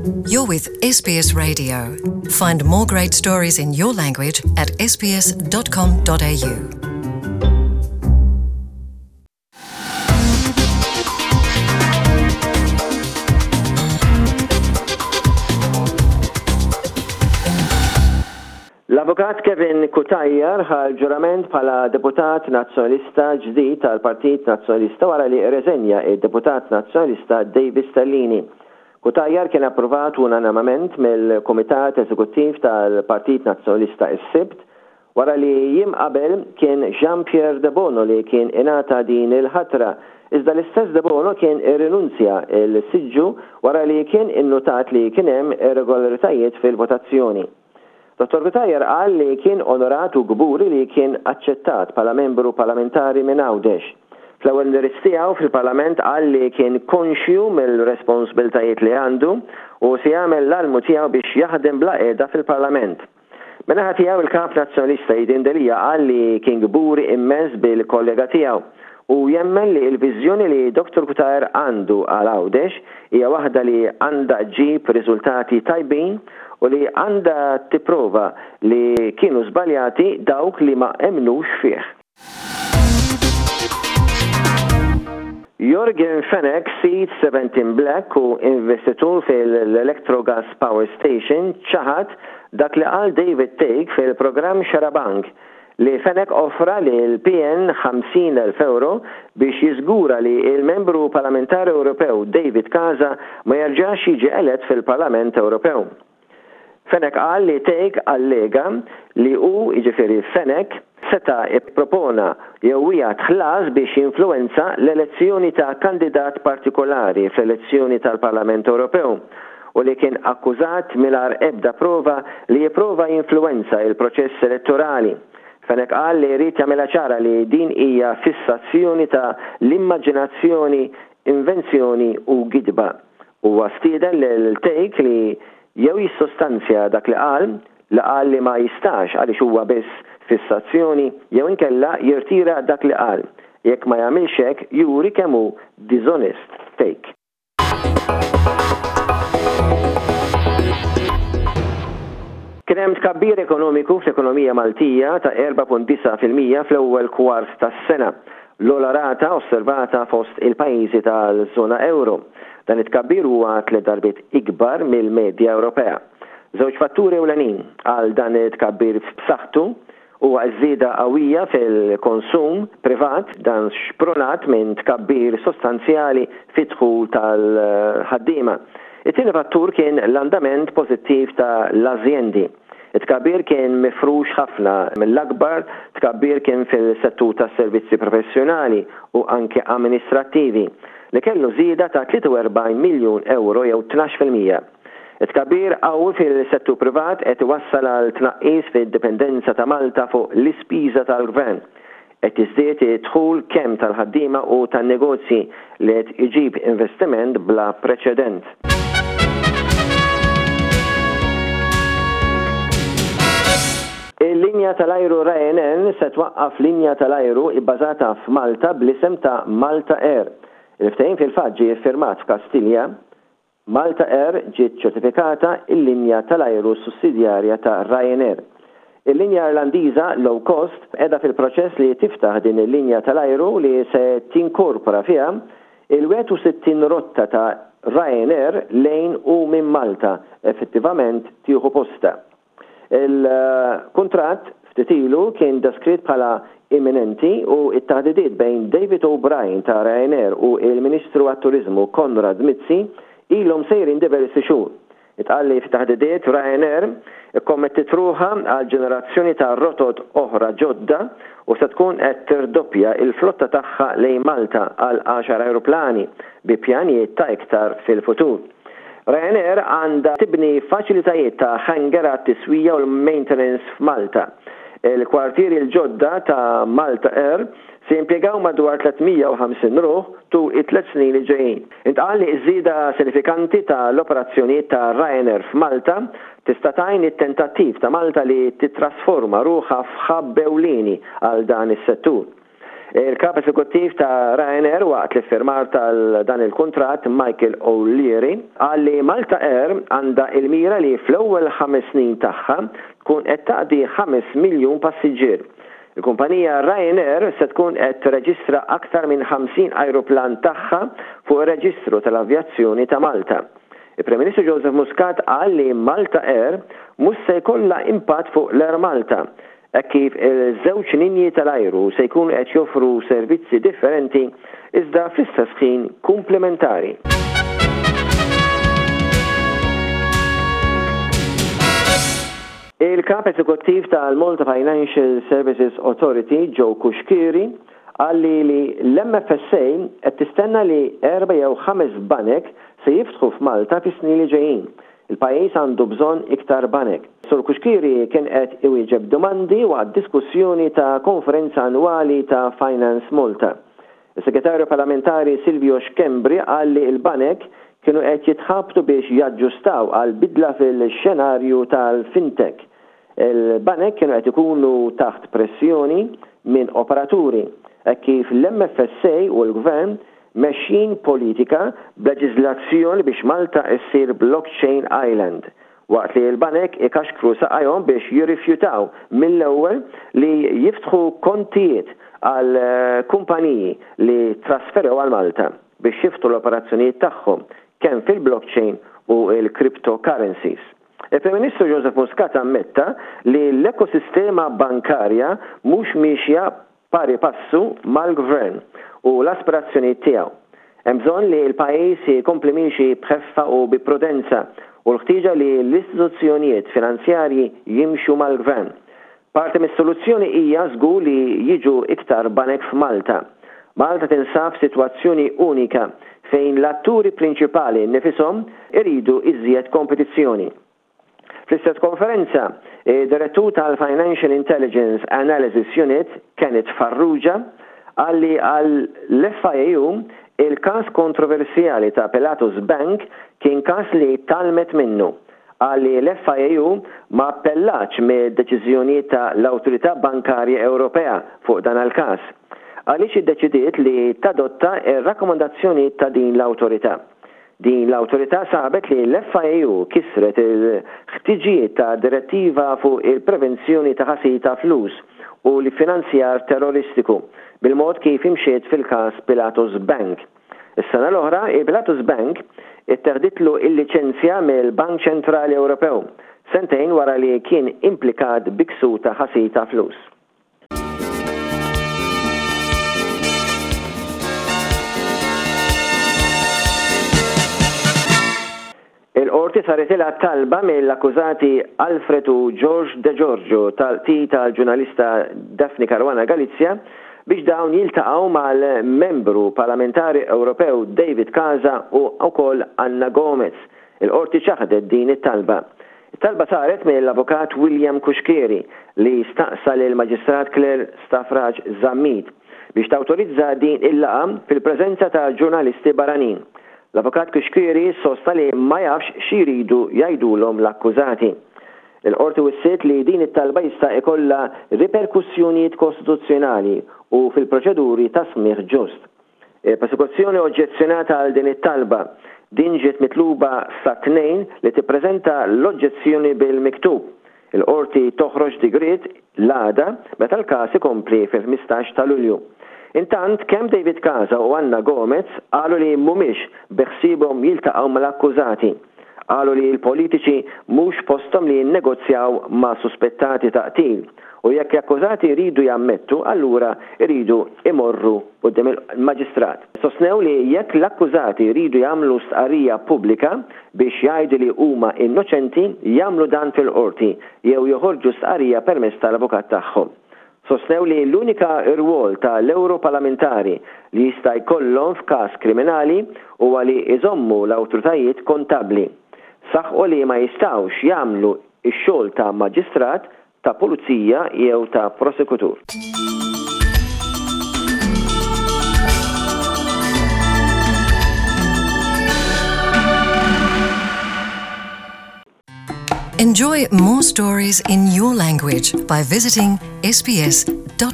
You're with SBS Radio. Find more great stories in your language at sbs.com.au. L-Avukat Kevin Cutajar ħa l-ġurament bħala Deputat Nazzjonalista ġdid tal-Partit Nazzjonalista wara li rreżenja d-Deputat Nazzjonalista David Stellini. Cutajar kien approvat unanimament mill-Kumitat Eżekuttiv tal-Partit Nazzjonalista s-Sibt wara li jiem qabel kien Jean Pierre Debono li kien ingħata din il-ħatra iżda l-istess Debono kien irrinunzja l-siġġu wara li kien innutat li kien hemm irregolaritajiet fil-votazzjoni. Dottor Cutajar qal li kien onorat u kburi li kien aċċettat bħala membru parlamentari minn Għawdex. Fl-ewwel indirizz tiegħu fil-Parlament qal li kien konxju mill-responsbiltajiet li għandu u se jagħmel l-almu tiegħu biex jaħdem bla qiegħda fil-Parlament. Min-naħa tiegħu il-Kap Nazzjonalista Adrian Delia qal li kien kburi immens bil-kollega tiegħu u jemmen li l-viżjoni li Dottor Cutajar għandu għal Għawdex hija waħda li għandha ġġib riżultati tajbin u li għandha tipprova li kienu żbaljati dawk li ma emmnux fih. Yorgen Fenech, sid Seventeen Black u investitur fil-Electrogas Power Station ċaħad dak li qal David Thake fil-programm Xarabank li Fenech offra lill-PN 50,000 ewro biex jiżgura li l-Membru Parlamentari Ewropew David Casa ma jerġax jiġi elett fil-Parlament Ewropew. Fenech qal li Thake allega li hu, jiġifieri Fenech, seta' ppropona jew wiegħed ħlas biex jinfluwenza l-elezzjoni ta' kandidat partikolari fl-elezzjoni tal-Parlament Ewropew u li kien akkużat mingħajr ebda prova li jipprova jinfluwenza l-proċess elettorali. Fenech qal li jrid jagħmilha ċara li din hija fissazzjoni ta' l-immaġinazzjoni, invenzjoni u gidba. Huwa stieden lil Thake li jew jissostanzja dak li qal, li qal li ma jistax għaliex huwa biss fissazzjoni, jew inkella jirtira dak li qal. Jekk ma jagħmilx hekk juri kemm hu diżonest Thake. Kien hemm tkabbir ekonomiku fl-ekonomija Maltija ta' 4.9% fl-ewwel kwart tas-sena, l-ogħla rata osservata fost il-pajjiżi tal-żona ewro. Dan it-tkabbir huwa tliet darbiet ikbar mill-medja Ewropea. Żewġ fatturi ewlenin għal dan it-tkabbir b'saħħtu huwa ż-żieda qawwija fil-konsum privat, dan xprunat minn tkabbir sostanzjali fid-dħul tal-ħaddiema. It-tieni fattur kien l-andament pożittiv ta' l-azjendi. It-tkabbir kien mifrux ħafna, l-akbar tkabbir kien fil-settur tas-servizzi professjonali u anke amministrattivi, li kellu żieda ta' 43 miljun ewro jew 12%. It-tkabbir qawwi fil-settur privat qed iwassal għal tnaqqis fid-dipendenza ta' Malta fuq l-ispiża tal-gvern. Qed jiżdied id-dħul kemm tal-ħaddiema u tan-negozji li qed iġib investiment bla preċedent. Il-linja tal-ajru Ryanair se twaqqaf linja tal-ajru ibbażata f'Malta bl-isem ta' Malta Air. Il-ftehim fil-fatt ġie ffirmat f'Kastilja Malta Air ġiet ċertifikata il-linja tal-ajru sussidjarja ta' Ryanair. Il-linja Irlandiża low cost qiegħda fil-proċess li tiftaħ din il-linja tal-ajru li se tinkorpora fiha il-61 rotta ta' Ryanair lejn u minn Malta, effettivament tieħu postha. Il-kuntratt ftit ilu kien deskritt bħala imminenti u t-taħdidiet bejn David O'Brien ta' Ryanair u l-Ministru għat-Turiżmu Konrad Mizzi ilhom sejrin diversi xhur. Intqal li fit-taħdidiet Ryanair ikkommettiet ruħha għal ġenerazzjoni ta' rotot oħra ġodda u se tkun qed tirdoppja l-flotta tagħha lejn Malta għal għaxar ajruplani bi pjanijiet ta' iktar fil-futur. Ryanair għandha tibni faċilitajiet ta' hangar għat-tiswija u l-maintenance f'Malta. Il-kwartieri l-ġodda ta' Malta Air se jimpjegaw madwar 350 ruħ tul it-tliet snin li ġejjin. Intqal li ż-żieda sinifikanti ta' l-operazzjonijiet ta' Ryanair f'Malta tista' tgħin it-tentattiv ta' Malta li tittrasforma ruħha f'hub ewlieni għal dan is-settur. Il-Kap Eżekuttiv ta' Ryanair waqt l-iffirmar tal dan il-kuntratt, Michael O'Leary, qal li Malta Air għandha il-mira li fl-ewwel ħames snin tagħha tkun qed taqdi 5 miljun passiġġier. Il-kumpanija Ryanair se tkun qed tirreġistra aktar minn 50 ajruplan tagħha fuq ir-reġistru tal-avjazzjoni ta' Malta. Il-Prim Ministru Joseph Muscat qal li Malta Air mhux se jkollha impatt fuq l-Air Malta, hekk kif il-żewġ linji tal-ajru se jkunu qed joffru servizzi differenti iżda fl-istess ħin kumplimentari. Il-Kap Eżekuttiv tal-Malta Financial Services Authority, Joe Cuschieri, qal li li l-MFSA qed tistenna li erba' jew ħames banek se jiftħu f'Malta fis-snin li ġejjin. Il-pajjiż għandu bżonn iktar banek. Sur Cuschieri kien qed iwieġeb domandi waqt diskussjoni ta' konferenza annwali ta' Finance Malta. Is-Segretarju Parlamentari Silvio Schembri qal li l-banek kienu qed jitħabtu biex jaġġustaw għal bidla fil-xenarju tal-fintech. Il-banek kienu qed ikunu taħt pressjoni minn operaturi, hekk kif l-MFSA u l-Gvern mexjin politika b'leġiżlazzjoni biex Malta ssir blockchain island. Waqt li l-banek ikaxkru saqajhom biex jirrifjutaw mill-ewwel li jiftħu kontijiet għal kumpaniji li ttrasferew għal Malta biex jiftħu l-operazzjonijiet tagħhom kemm fil-blockchain u l-cryptocurrencies. Il-Prim Ministru Joseph Muscat ammetta li l-ekosistema bankarja mhux miexja pari passu mal-Gvern u l-aspirazzjonijiet tiegħu. Hemm bżonn li l-pajjiż ikompli miexi b'ħeffa u bi prudenza u l-ħtieġa li l-istituzzjonijiet finanzjarji jimxu mal-Gvern. Parti mis-soluzzjoni hija żgur li jiġu iktar banek f'Malta. Malta tinsab f'sitwazzjoni unika fejn l-atturi prinċipali nnifishom iridu iżjed kompetizzjoni. Fl-istess konferenza, id-Direttur tal-Financial Intelligence Analysis Unit, Kenneth Farrugia, qal li għall-FIAU il-każ kontroversjali ta' Pilatus Bank kien każ li tgħallmet minnu. Qal li l-FIAU ma appellatx mid-deċiżjonijiet ta' l-Awtorità Bankarja Ewropea fuq dan l-każ, għaliex iddeċidiet li tadotta r-rakkomandazzjonijiet ta' din l-awtorità. Din l-awtorità sabet li l-FIAU kisret il-ħtiġijiet ta' direttiva fuq il-prevenzjoni ta' ħasil ta' flus u l-iffinanzjar terroristiku bil-mod kif imxiet fil-każ Pilatus Bank. Is-sena l-oħra, il-Pilatus Bank itteħditlu l-liċenzja mill-Bank Ċentrali Ewropew, sentejn wara li kien implikat bi ksur ta' ħasil ta' flus. Il-Qorti saritilha talba mill-akkużati Alfred u George De Giorgio tal-qtil tal-ġurnalista Daphne Caruana Galizia biex dawn jiltaqgħu mal-Membru Parlamentari Ewropew David Casa u wkoll Anna Gomez. Il-Qorti ċaħdet din it-talba. It-talba saret mill-Avukat William Cuschieri li staqsa lill-Maġistrat Claire Stafrace Zammit biex tawtorizza din il-laqgħa fil-preżenza ta' ġurnalisti barranin. L-Avukat Cuschieri sostna li ma jafx xi jridu jgħidulhom l-akkużati. Il-Qorti wissiet li din it-talba jista' ikollha riperkussjonijiet kostituzzjonali u fil-proċeduri ta' smigħ ġust. Il-Prosekuzzjoni oġġezzjonat għal din it-talba. Din ġiet mitluba sat-Tnejn li tippreżenta l-oġġezzjoni bil-miktub. Il-Qorti toħroġ digriet l-għada meta l-każ ikompli fil-15 ta' Lulju. Intant, kemm David Casa u Anna Gomez qalu li mhumiex beħsiebhom jiltaqgħu mal-akkużati. Qalu li l-politiċi mhux posthom li jinnegozjaw ma' suspettati ta' qtil u jekk l-akkużati jridu jammettu allura jridu jmorru quddiem il-Maġistrat. Sostnew li jekk l-akkużati jridu jagħmlu stqarrija pubblika biex jgħidu li huma innoċenti jagħmlu dan fil-Qorti jew joħorġu stqarrija permezz tal-avukat tagħhom. Sostnew li l-unika rwol ta' l-Ewropalamentari li jista' jkollhom f'każ kriminali huwa li jżommu l-awtoritajiet kontabbli. Saħqu li ma jistgħux jagħmlu x-xogħol ta' maġistrat, ta' pulizija jew ta' prosekutur. Enjoy more stories in your language by visiting sbs.com.au.